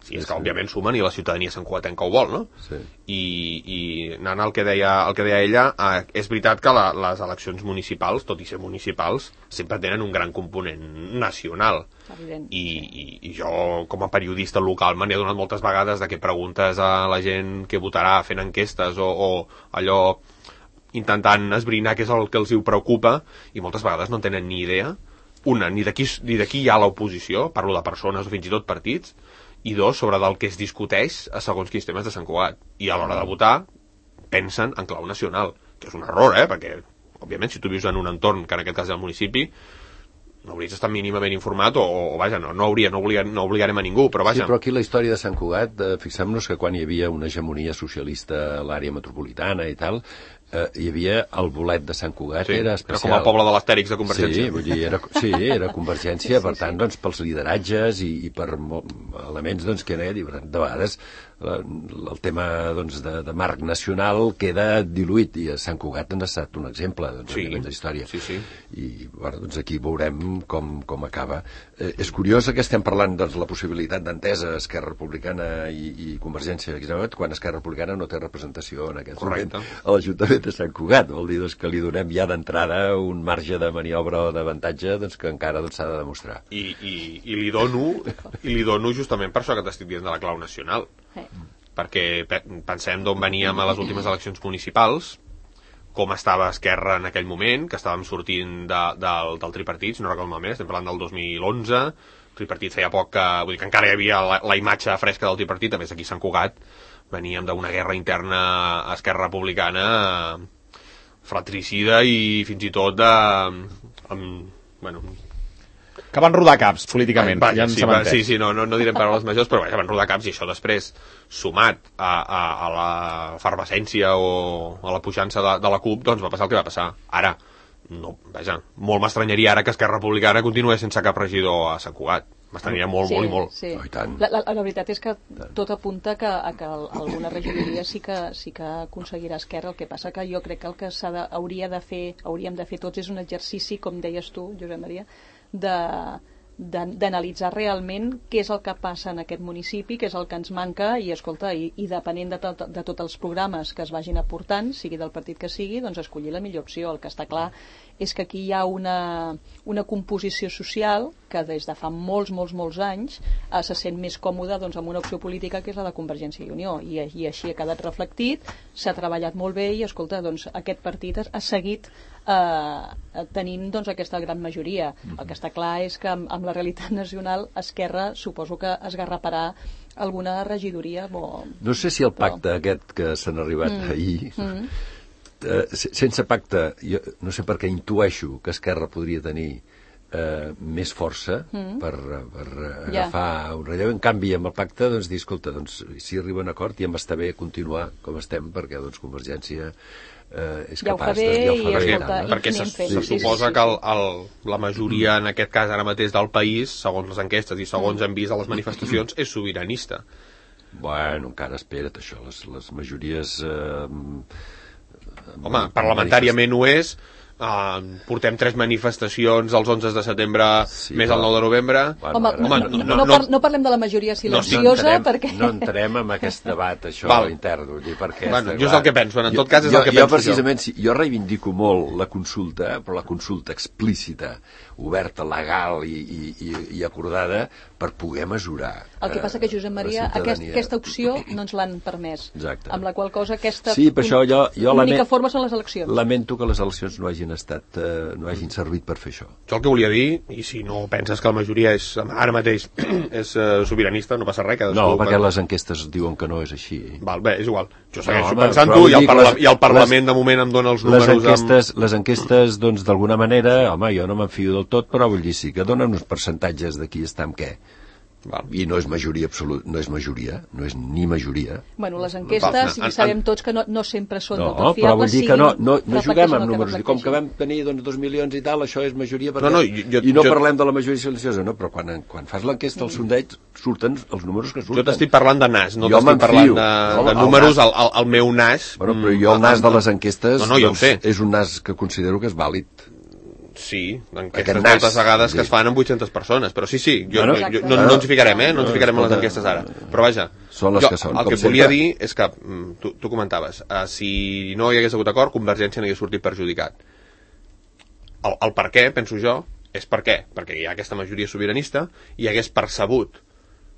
si és que, sí. òbviament, sumen i la ciutadania santcugatenca ho vol, no? Sí. I, i anant al que deia, el que deia ella, eh, és veritat que la, les eleccions municipals, tot i ser municipals, sempre tenen un gran component nacional. Evident. I, i, i jo, com a periodista local, me n'he donat moltes vegades de que preguntes a la gent que votarà fent enquestes o, o allò intentant esbrinar què és el que els hi preocupa, i moltes vegades no tenen ni idea, una, ni de qui, ni de qui hi ha l'oposició, parlo de persones o fins i tot partits, i dos, sobre del que es discuteix a segons quins temes de Sant Cugat. I a l'hora de votar pensen en clau nacional, que és un error, eh? Perquè, òbviament, si tu vius en un entorn, que en aquest cas és el municipi, no hauries estat mínimament informat o, o vaja, no, no, hauria, no, obligar, no obligarem a ningú, però vaja. Sí, però aquí la història de Sant Cugat, eh, fixem-nos que quan hi havia una hegemonia socialista a l'àrea metropolitana i tal, eh, hi havia el bolet de Sant Cugat, sí, era especial. Era com el poble de l'Astèrix de Convergència. Sí, vull dir, era, sí, era Convergència, per tant, doncs, pels lideratges i, i per elements doncs, que era, de vegades el tema doncs, de, de marc nacional queda diluït, i a Sant Cugat ha estat un exemple doncs, sí, de història. Sí, sí. I bueno, doncs aquí veurem com, com acaba. Eh, és curiós que estem parlant de doncs, la possibilitat d'entesa Esquerra Republicana i, i Convergència, quan Esquerra Republicana no té representació en aquest Correcte. moment a l'Ajuntament de Sant Cugat. Vol dir doncs, que li donem ja d'entrada un marge de maniobra o d'avantatge doncs, que encara s'ha doncs, de demostrar. I, i, i, li dono, I li dono justament per això que t'estic dient de la clau nacional. Sí. Perquè pensem d'on veníem a les últimes eleccions municipals, com estava Esquerra en aquell moment, que estàvem sortint de, del, del tripartit, si no recordo malament, estem parlant del dos mil onze, el tripartit feia poc que, vull dir que encara hi havia la, la imatge fresca del tripartit, a més aquí a Sant Cugat veníem d'una guerra interna a Esquerra Republicana fratricida i fins i tot de... Amb, bueno, que van rodar caps políticament. Va, ja sí, va, sí, sí, no, no, no direm paraules majors, però vaja, van rodar caps i això després, sumat a, a, a la efervescència o a la puixança de, de la CUP, doncs va passar el que va passar. Ara, no, vaja, molt m'estranyaria ara que Esquerra Republicana continués sense cap regidor a Sant Cugat. M'estranyaria molt, sí, molt i molt. Sí. Oh, i tant. La, la, la veritat és que tot apunta que, a que alguna regidoria sí que, sí que aconseguirà Esquerra. El que passa que jo crec que el que s'ha de, hauria de fer, hauríem de fer tots és un exercici, com deies tu, Josep Maria, de d'analitzar realment què és el que passa en aquest municipi, què és el que ens manca i, escolta, i, i depenent de, tot, de tots els programes que es vagin aportant, sigui del partit que sigui, doncs escollir la millor opció. El que està clar és que aquí hi ha una, una composició social que des de fa molts, molts, molts anys eh, se sent més còmoda doncs, amb una opció política que és la de Convergència i Unió, i, i així ha quedat reflectit, s'ha treballat molt bé i, escolta, doncs, aquest partit ha seguit eh, tenint doncs, aquesta gran majoria. El que està clar és que amb, amb la realitat nacional, Esquerra suposo que esgarraparà alguna regidoria. Bo, no sé si el pacte però... aquest que s'han arribat mm. ahir, mm. Eh, sense pacte, jo no sé per què intueixo que Esquerra podria tenir eh, més força mm. per, per agafar yeah. un relleu. En canvi, amb el pacte, doncs, dir, escolta, doncs, si arriba un acord ja m'està bé continuar com estem, perquè doncs, Convergència eh, és ja capaç de... Ja ho fa bé, bé, escolta, no? Perquè se, fent, se sí, suposa sí, sí, que el, el, la majoria, en aquest cas ara mateix del país, segons les enquestes i segons hem vist a les manifestacions, és sobiranista. Bueno, encara espera't, això. Les, les majories... Eh, Home, parlamentàriament ho és. Uh, portem tres manifestacions els onze de setembre, sí, més el nou de novembre. Bueno, home, home no, no, no, no, no parlem de la majoria silenciosa, no entrem, perquè... No entrem en aquest debat, això, Val. intern, vull dir, perquè... Bueno, jo és el que penso, en tot cas és jo, el que jo, penso precisament, jo. Jo reivindico molt la consulta, però la consulta explícita, oberta, legal i, i, i, i acordada per poder mesurar. El que passa que, Josep Maria, aquest, aquesta opció no ens l'han permès. Exacte. Amb la qual cosa aquesta sí, per això jo, jo l'única lament, forma són les eleccions. Lamento que les eleccions no hagin estat, eh, no hagin servit per fer això. Jo el que volia dir, i si no penses que la majoria és, ara mateix és uh, sobiranista, no passa res. No, perquè les enquestes diuen que no és així. Val, bé, és igual. Jo segueixo no, pensant-ho i, el parla les, i el Parlament les, de moment em dona els números... Les enquestes, amb... les enquestes doncs, d'alguna manera, home, jo no m'enfio del tot, però vull dir, sí que donen uns percentatges de qui està amb què. Val. I no és majoria absoluta, no és majoria, no és ni majoria. Bueno, les enquestes, sí, sabem tots que no, no sempre són no, del tot fiables. No, però vull dir que no, no, no juguem amb que números. I com que vam tenir doncs, dos milions i tal, això és majoria, perquè... No, no, jo, i no jo... parlem de la majoria silenciosa, no? Però quan, quan fas l'enquesta al sondeig, surten els números que surten. Jo t'estic parlant de nas, no t'estic parlant de, de no, números, el, el, el meu nas... Bueno, però jo el nas de les enquestes no, no, ja doncs, és un nas que considero que és vàlid. Sí, enquestes moltes vegades que es fan amb vuit-centes persones, però sí, sí, jo, bueno, jo, no, no ens hi ficarem, eh? No ens hi ficarem en les enquestes ara. Però vaja, són les jo, que són, el que et volia dir és que, tu, tu comentaves, uh, si no hi hagués hagut acord, Convergència n'hagués sortit perjudicat. El, el per què, penso jo, és per què? Perquè hi ha aquesta majoria sobiranista i hagués percebut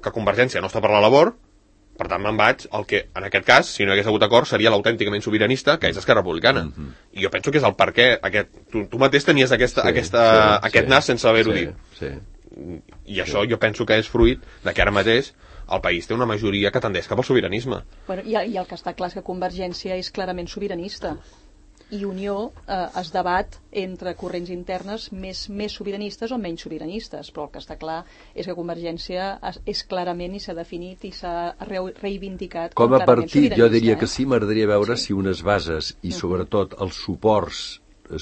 que Convergència no està per la labor. Per tant, me'n vaig al que, en aquest cas, si no hi hagués hagut acord, seria l'autènticament sobiranista, que és Esquerra Republicana. Mm -hmm. I jo penso que és el per què. Aquest, tu, tu mateix tenies aquesta, sí, aquesta, sí, aquest sí, nas sense haver-ho sí, dit. Sí. I això sí. Jo penso que és fruit de que ara mateix el país té una majoria que tendeix cap al sobiranisme. Bueno, i, I el que està clar és que Convergència és clarament sobiranista. i Unió eh, es debat entre corrents internes més, més sobiranistes o menys sobiranistes, però el que està clar és que Convergència és, és clarament i s'ha definit i s'ha re reivindicat com a partit. Jo diria eh? que sí, m'agradaria veure sí. si unes bases i uh-huh. sobretot els suports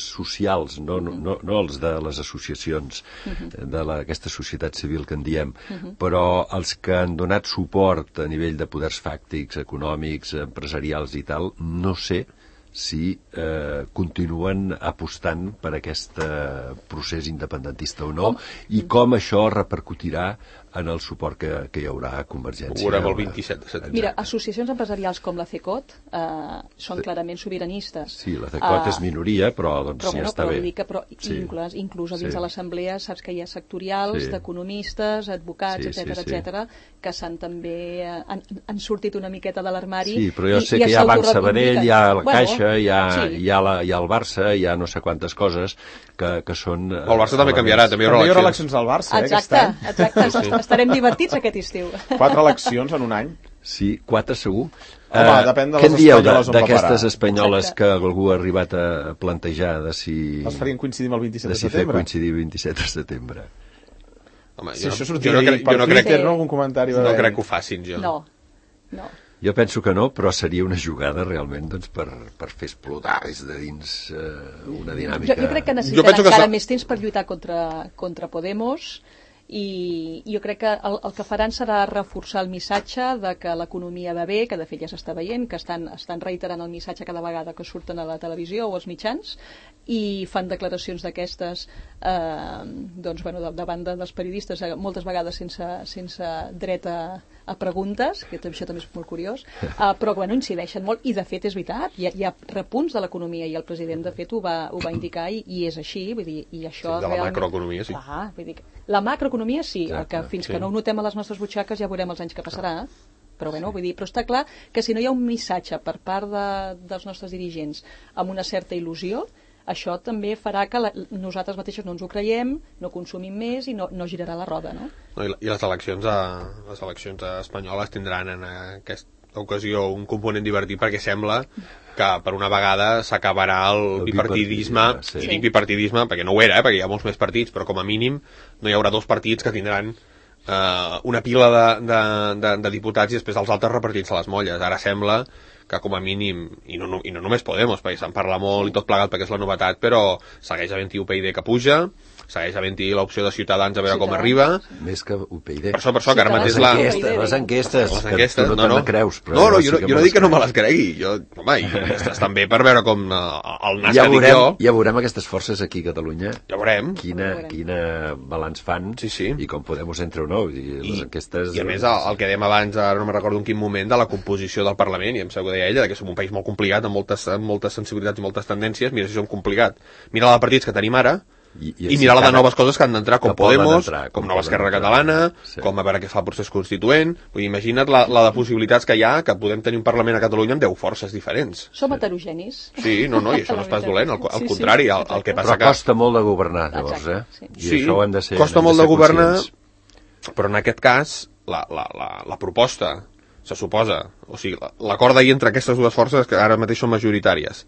socials, no, no, no, no els de les associacions uh-huh. d'aquesta societat civil que en diem, uh-huh. però els que han donat suport a nivell de poders fàctics, econòmics, empresarials i tal, no sé si eh, continuen apostant per aquest eh, procés independentista o no, com? I com això repercutirà en el suport que, que hi haurà a Convergència. Ho veurem el vint-i-set de setembre. Mira, associacions empresarials com la CECOT eh, són clarament sobiranistes. Sí, la CECOT uh, és minoria, però doncs però, sí, bueno, està però bé. Dir que, però sí. inclús, inclús a dins sí. de l'assemblea saps que hi ha sectorials sí. d'economistes, advocats, sí, etcètera, sí, sí. etcètera, que s'han també eh, han, han sortit una miqueta de l'armari. Sí, però jo i, sé i que hi ha Banc Sabadell, hi ha la bueno, Caixa, hi ha, sí. hi, ha la, hi ha el Barça, hi ha no sé quantes coses que, que són... El Barça també canviarà, també hi haurà eleccions. eleccions al Barça, eh, exacte, exacte, sí, sí. Estarem divertits aquest estiu. Quatre eleccions en un any? Sí, quatre segur. Home, uh, depèn de les què en dieu d'aquestes espanyoles exacte. Que algú ha arribat a plantejar de si... Les farien coincidir amb el vint-i-set de, de si setembre? fer coincidir el vint-i-set de setembre. Home, si jo, això jo no, crec, jo no crec que... No, algun comentari no crec que ho facin, jo. No, no. Jo penso que no, però seria una jugada realment doncs, per, per fer explotar des de dins eh, una dinàmica... Jo, jo crec que necessitarà encara que... més temps per lluitar contra, contra Podemos i jo crec que el, el que faran serà reforçar el missatge de que l'economia va bé, que de fet ja s'està veient, que estan, estan reiterant el missatge cada vegada que surten a la televisió o als mitjans i fan declaracions d'aquestes eh, doncs, bueno, davant dels periodistes, moltes vegades sense, sense dret a, a preguntes, que això també és molt curiós, uh, però bueno, incideixen molt i de fet és veritat, hi ha, hi ha repunts de l'economia i el president de fet ho va, ho va indicar i, i és així, vull dir, i això sí, de la realment... macroeconomia, sí. Clar, vull dir, la macroeconomia sí, exacte, el que fins sí. que no ho notem a les nostres butxaques ja veurem els anys que passarà, però bueno, vull dir, però està clar que si no hi ha un missatge per part de, dels nostres dirigents amb una certa il·lusió, això també farà que la, nosaltres mateixos no ens ho creiem, no consumim més i no, no girarà la roda, no? no i, I les eleccions, a, les eleccions espanyoles tindran en aquesta ocasió un component divertit perquè sembla que per una vegada s'acabarà el, el bipartidisme, sí. I dic bipartidisme perquè no ho era, eh, perquè hi ha molts més partits, però com a mínim no hi haurà dos partits que tindran eh, una pila de, de, de, de diputats i després els altres repartits a les molles. Ara sembla que com a mínim, i no, i no només Podemos, perquè se'n parla molt i tot plegat perquè és la novetat, però segueix havent-hi U P y D que puja, segueix havent-hi l'opció de Ciutadans a veure com arriba. Més que U P y D. Per això, per això, que ara mateix la... Les enquestes, les enquestes, les enquestes, que tu no, no, no creus. Però no, no, sí jo, no, jo no dic que no me les cregui. Jo, home, i estan bé per veure com uh, el nas ja que veurem, dic jo. Ja veurem aquestes forces aquí a Catalunya. Ja veurem. Quina, quina balanç fan sí, sí. I com Podemos entre o no. I, les enquestes... I a més, el, el que dèiem abans, ara no me recordo en quin moment, de la composició del Parlament, i em sembla que deia ella, que som un país molt complicat, amb moltes, amb moltes sensibilitats i moltes tendències. Mira si som complicat. Mira la de partits que tenim ara, I, i, i mirar la de noves coses que han d'entrar, com Podemos, entrar, com, com Nova Esquerra Catalana, sí. Com a veure què fa el procés constituent. Vull dir, imagina't la, la de possibilitats que hi ha, que podem tenir un Parlament a Catalunya amb deu forces diferents. Som heterogenis. Sí, no, no, i això no és pas dolent, al, al sí, contrari, el, el que passa però costa que... molt de governar, llavors, eh? Sí, I sí això ho hem de ser, costa molt de, de governar, però en aquest cas, la, la, la, la proposta, se suposa, o sigui, l'acord d'ahir entre aquestes dues forces que ara mateix són majoritàries,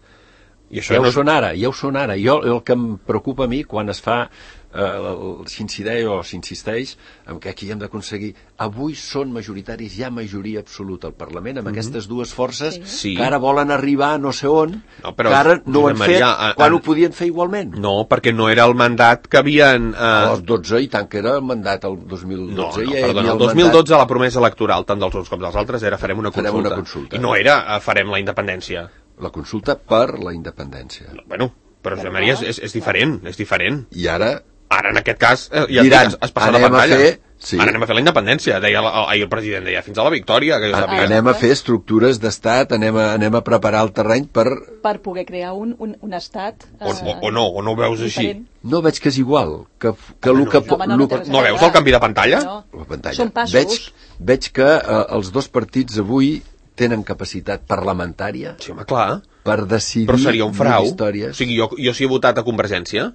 i això ja no ho són ara, ja ho són ara. Jo, el que em preocupa a mi quan es fa eh, s'incideix o s'insisteix en que aquí hem d'aconseguir, avui són majoritaris, hi ha majoria absoluta al Parlament amb mm-hmm. aquestes dues forces sí. que ara volen arribar a no sé on, no, però, que ara no ho han fet Maria, a, a, quan ho podien fer igualment. No, perquè no era el mandat que havien... Eh... Els dotze, i tant que era el mandat el dos mil dotze. No, no, ja perdona, el dos mil dotze mandat... la promesa electoral, tant dels uns com dels altres, era farem una consulta. Farem una consulta. I no era eh, farem la independència. La consulta per la independència. No, bueno, però Josep Maria és, és, és diferent, és diferent. I ara... Ara, en aquest cas, eh, ja diran, es, es passa la pantalla. Fer, sí. Ara anem a fer la independència, deia el, ahir el president, deia, fins a la victòria. Que jo a, anem a fer estructures d'estat, anem, a, anem a preparar el terreny per... Per poder crear un, un, un estat... O, o, o no, o no ho veus així. No veig que és igual. Que, que no, lo que, no, no, no, que, no veus el canvi de pantalla? No. La pantalla. Són passos. Veig, veig que eh, els dos partits avui tenen capacitat parlamentària sí, home, clar. Per decidir... Però seria un frau. Històries. O sigui, jo, jo si he votat a Convergència,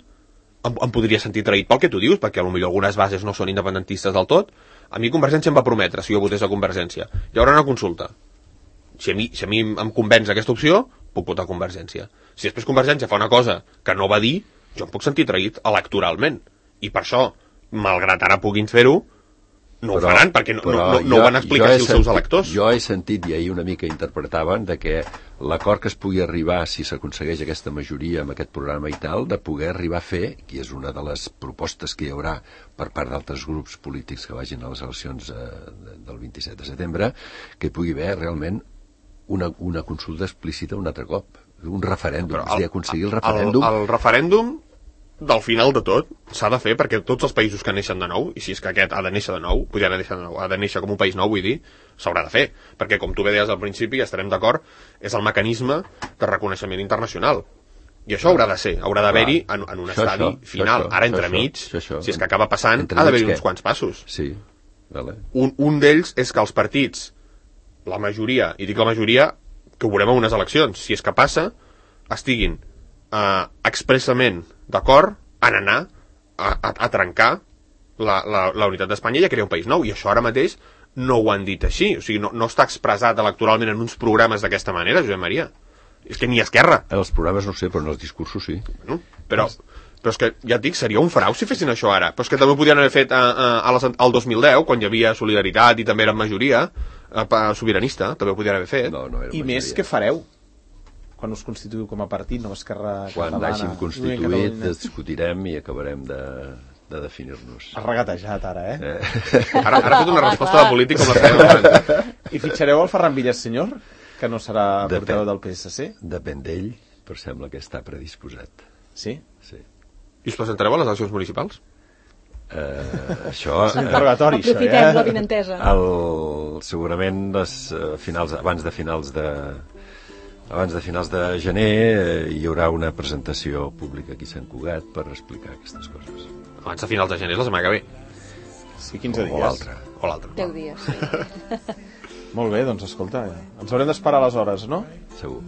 em, em podria sentir traït pel que tu dius, perquè potser algunes bases no són independentistes del tot. A mi Convergència em va prometre, si jo votés a Convergència, hi haurà una consulta. Si a mi, si a mi em convenç aquesta opció, puc votar Convergència. Si després Convergència fa una cosa que no va dir, jo em puc sentir traït electoralment. I per això, malgrat ara puguin fer-ho, no però, ho faran, perquè no, no, no, no ho van explicar als seus electors. Jo he sentit, i ahir una mica interpretaven, de que l'acord que es pugui arribar, si s'aconsegueix aquesta majoria amb aquest programa i tal, de poder arribar a fer, que és una de les propostes que hi haurà per part d'altres grups polítics que vagin a les eleccions eh, del vint-i-set de setembre, que hi pugui haver realment una, una consulta explícita un altre cop. Un referèndum, el, és a dir, aconseguir el referèndum... El, el referèndum del final de tot s'ha de fer perquè tots els països que neixen de nou, i si és que aquest ha de néixer de nou, podria haver de nou, ha de néixer com un país nou, vull dir, s'haurà de fer, perquè com tu bé deies al principi, ja estarem d'acord, és el mecanisme de reconeixement internacional. I això haurà de ser, haurà d'haver-hi en, en un això, estadi això, final. Això, Ara entremig, això, això, si és que acaba passant, ha d'haver-hi uns quants passos. Sí, vale. Un, un d'ells és que els partits, la majoria, i dic la majoria, que ho veurem en unes eleccions, si és que passa, estiguin eh, expressament d'acord en anar a, a, a trencar la, la, la unitat d'Espanya i a crear un país nou, i això ara mateix no ho han dit així, o sigui, no, no està expressat electoralment en uns programes d'aquesta manera, Josep Maria. És que ni Esquerra. En els programes no sé, però en els discursos sí. Bueno, però, però és que, ja et dic, seria un frau si fessin això ara, però és que també ho podien haver fet a, a, a les, al dos mil deu, quan hi havia Solidaritat i també eren majoria a, sobiranista, també ho podien haver fet. No, no I majoria. Més, què fareu? Quan us constituïu com a partit, no Esquerra Quan Catalana... Quan hàgim constituït, discutirem i acabarem de, de definir-nos. Has regatejat ara, eh? eh? Ara, ara ha fet una resposta de polític com la feia. I fitxareu el Ferran Villasenyor, que no serà portaveu del P S C? Depèn d'ell, però sembla que està predisposat. Sí? Sí. I us presentareu a les eleccions municipals? Uh, això... És un interrogatori, això, eh? Aprofitem la vinentesa. El, segurament les, uh, finals, abans de finals de... Abans de finals de gener eh, hi haurà una presentació pública aquí a Sant Cugat per explicar aquestes coses. Abans de finals de gener, la setmana que ve. Sí, quinze dies. O l'altre. O l'altre. deu dies, sí. Molt bé, doncs escolta, ens haurem d'esperar les hores, no? Segur.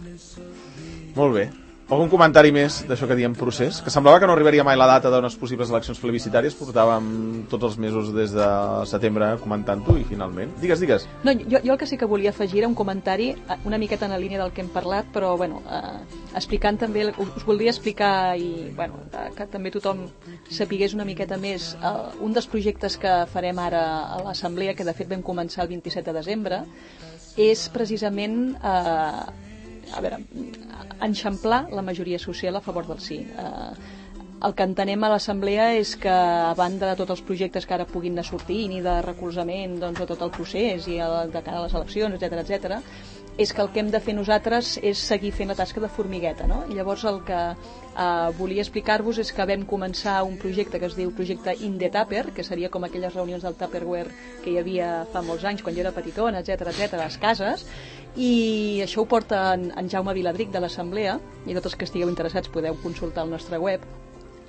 Molt bé. Algun comentari més d'això que diem procés? Que semblava que no arribaria mai la data d'unes possibles eleccions plebiscitàries, portàvem tots els mesos des de setembre comentant-ho i finalment... Digues, digues. No, jo, jo el que sí que volia afegir era un comentari una miqueta en la línia del que hem parlat, però bueno, eh, explicant també, us voldria explicar i bueno, eh, que també tothom sapigués una miqueta més eh, un dels projectes que farem ara a l'Assemblea, que de fet vam començar el vint-i-set de desembre, és precisament... Eh, a veure, enxamplar la majoria social a favor del sí. Eh, el que entenem a l'Assemblea és que, a banda de tots els projectes que ara puguin anar sortint i de recolzament doncs, a tot el procés i a, de cara a les eleccions, etcètera, etcètera, és que el que hem de fer nosaltres és seguir fent la tasca de formigueta, no? I llavors el que eh, volia explicar-vos és que vam començar un projecte que es diu projecte In the Tupper, que seria com aquelles reunions del Tupperware que hi havia fa molts anys quan jo era petitona, etcètera, etcètera, a les cases, i això ho porta en, en Jaume Viladric de l'Assemblea, i tots els que estigueu interessats podeu consultar el nostre web,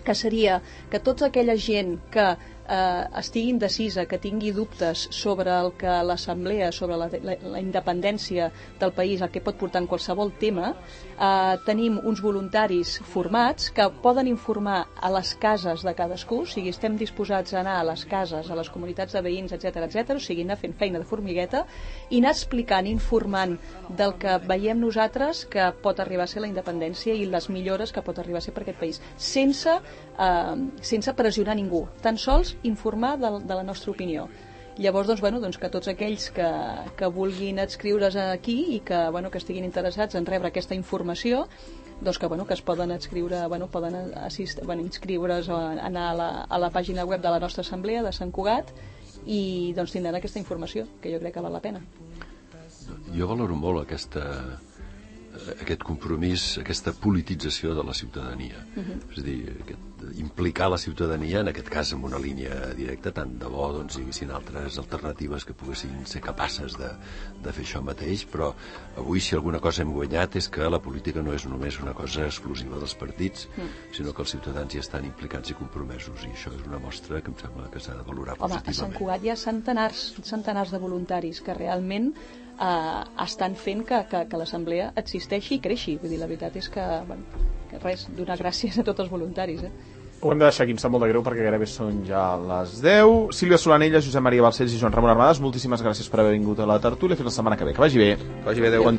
que seria que tota aquella gent que eh, estigui indecisa, que tingui dubtes sobre el que l'Assemblea, sobre la, la, la independència del país, el que pot portar en qualsevol tema, eh, tenim uns voluntaris formats que poden informar a les cases de cadascú, o sigui, estem disposats a anar a les cases, a les comunitats de veïns, etcètera, etcètera, o sigui, anar fent feina de formigueta i anar explicant, informant del que veiem nosaltres que pot arribar a ser la independència i les millores que pot arribar a ser per aquest país, sense, eh, sense pressionar ningú, tan sols informar de, de la nostra opinió. Llavors, doncs, bueno, doncs que tots aquells que, que vulguin adscriure's aquí i que, bueno, que estiguin interessats en rebre aquesta informació, doncs que, bueno, que es poden adscriure, bueno, poden assist, bueno, inscriure's o anar a la, a la pàgina web de la nostra assemblea de Sant Cugat i doncs tindran aquesta informació, que jo crec que val la pena. Jo valoro molt aquesta, aquest compromís, aquesta politització de la ciutadania. Uh-huh. És a dir, aquest, implicar la ciutadania, en aquest cas amb una línia directa, tant de bo doncs, hi haguessin altres alternatives que poguessin ser capaces de, de fer això mateix, però avui si alguna cosa hem guanyat és que la política no és només una cosa exclusiva dels partits, uh-huh. sinó que els ciutadans hi estan implicats i compromesos, i això és una mostra que em sembla que s'ha de valorar Home, positivament. A Sant Cugat hi ha centenars, centenars de voluntaris que realment Uh, estan fent que, que, que l'assemblea existeixi i creixi. Vull dir, la veritat és que, bueno, que res, donar gràcies a tots els voluntaris, eh? Ho hem de deixar aquí, em sap molt de greu perquè gairebé són ja les deu. Sílvia Solanella, Josep Maria Balcells i Joan Ramon Armades, moltíssimes gràcies per haver vingut a la tertúlia. Fins la setmana que ve. Que vagi bé. Que vagi bé, adéu. Bon...